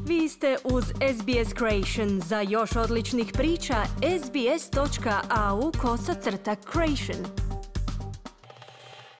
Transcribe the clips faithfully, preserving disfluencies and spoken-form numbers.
Vi ste uz S B S Creation. Za još odličnih priča, sbs.au kosacrta creation.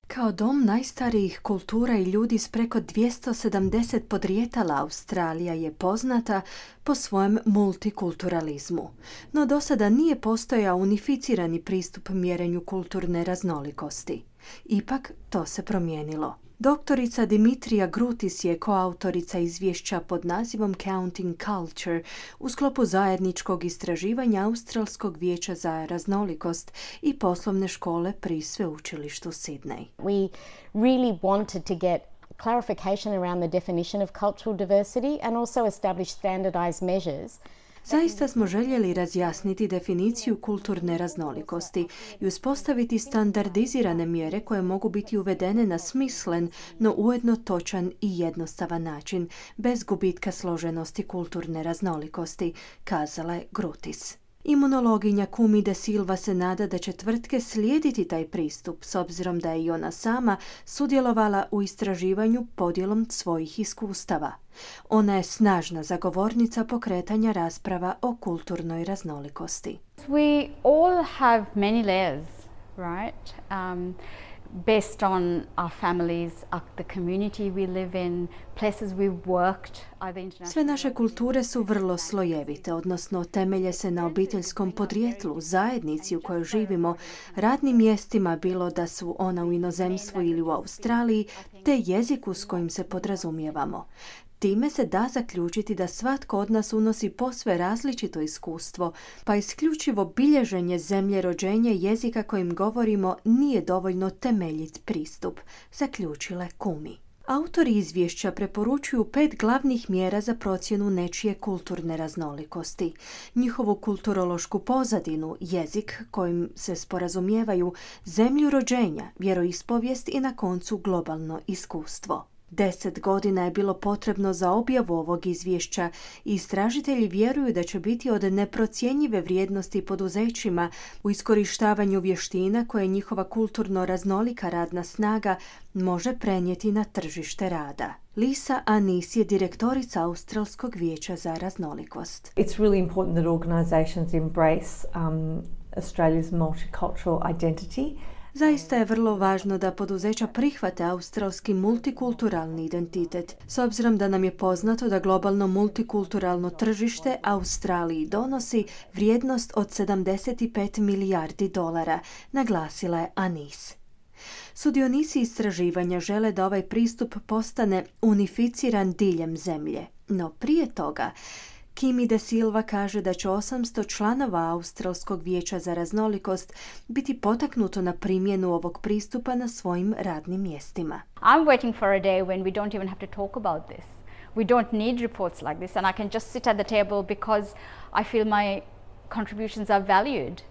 Kao dom najstarijih kultura i ljudi s preko dvjesto sedamdeset podrijetala, Australija je poznata po svojem multikulturalizmu. No do sada nije postojao unificirani pristup mjerenju kulturne raznolikosti. Ipak to se promijenilo. Doktorica Dimitrija Grutis je koautorica izvješća pod nazivom Counting Culture u sklopu zajedničkog istraživanja Australskog vijeća za raznolikost i poslovne škole pri sveučilištu Sydney. We really wanted to get clarification around the definition of cultural diversity and also establish standardized measures. Zaista smo željeli razjasniti definiciju kulturne raznolikosti i uspostaviti standardizirane mjere koje mogu biti uvedene na smislen, no ujedno točan i jednostavan način, bez gubitka složenosti kulturne raznolikosti, kazala je Grutis. Imunologinja Kumi De Silva se nada da će tvrtke slijediti taj pristup, s obzirom da je i ona sama sudjelovala u istraživanju podjelom svojih iskustava. Ona je snažna zagovornica pokretanja rasprava o kulturnoj raznolikosti. We all have many layers, right? Um, based on our families, uh, the community we live in, places we've worked. Sve naše kulture su vrlo slojevite, odnosno temelje se na obiteljskom podrijetlu, zajednici u kojoj živimo, radnim mjestima, bilo da su ona u inozemstvu ili u Australiji, te jeziku s kojim se podrazumijevamo. Time se da zaključiti da svatko od nas unosi posve različito iskustvo, pa isključivo bilježenje zemlje rođenja jezika kojim govorimo nije dovoljno temeljit pristup, zaključile Kumi. Autori izvješća preporučuju pet glavnih mjera za procjenu nečije kulturne raznolikosti. Njihovu kulturološku pozadinu, jezik kojim se sporazumijevaju, zemlju rođenja, vjeroispovijest i na koncu globalno iskustvo. Deset godina je bilo potrebno za objavu ovog izvješća i istražitelji vjeruju da će biti od neprocjenjive vrijednosti poduzećima u iskorištavanju vještina koje njihova kulturno raznolika radna snaga može prenijeti na tržište rada. Lisa Anis je direktorica Australskog vijeća za raznolikost. It's really important that organizations embrace um, Australia's multicultural identity. Zaista je vrlo važno da poduzeća prihvate australski multikulturalni identitet, s obzirom da nam je poznato da globalno multikulturalno tržište Australiji donosi vrijednost od sedamdeset pet milijardi dolara, naglasila je Anis. Sudionici istraživanja žele da ovaj pristup postane unificiran diljem zemlje, no prije toga Kumi De Silva kaže da će osamsto članova Australskog vijeća za raznolikost biti potaknuto na primjenu ovog pristupa na svojim radnim mjestima. I'm waiting for a day when we don't even have to talk about this. We don't need reports like this and I can just sit at the table because I feel my contributions are valued.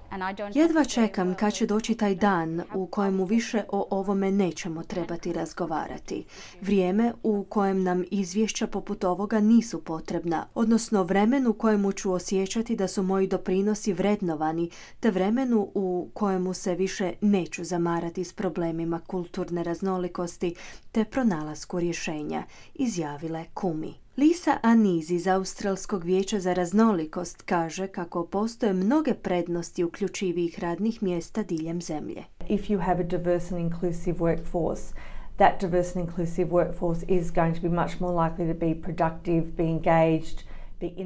Jedva čekam kad će doći taj dan u kojemu više o ovome nećemo trebati razgovarati. Vrijeme u kojem nam izvješća poput ovoga nisu potrebna, odnosno vremenu u kojemu ću osjećati da su moji doprinosi vrednovani, te vremenu u kojemu se više neću zamarati s problemima kulturne raznolikosti te pronalasku rješenja, izjavila je Kumi. Lisa Anis iz Australskog vijeća za raznolikost kaže kako postoje mnoge prednosti uključivih radnih mjesta diljem zemlje. If you have a diverse and inclusive workforce, that diverse and inclusive workforce is going to be much more likely to be productive, be engaged.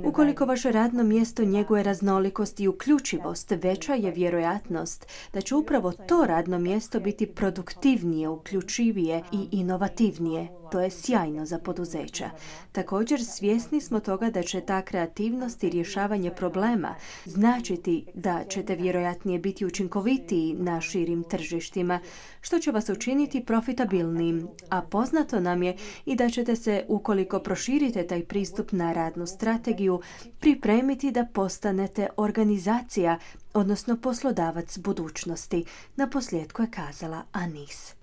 Ukoliko vaše radno mjesto njeguje raznolikost i uključivost, veća je vjerojatnost da će upravo to radno mjesto biti produktivnije, uključivije i inovativnije. To je sjajno za poduzeća. Također, svjesni smo toga da će ta kreativnost i rješavanje problema značiti da ćete vjerojatnije biti učinkovitiji na širim tržištima, što će vas učiniti profitabilnim, a poznato nam je i da ćete se, ukoliko proširite taj pristup na radnu strategiju, pripremiti da postanete organizacija, odnosno poslodavac budućnosti, naposljetku je kazala Anis.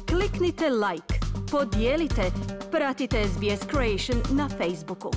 Kliknite like, podijelite, pratite S B S Creation na Facebooku.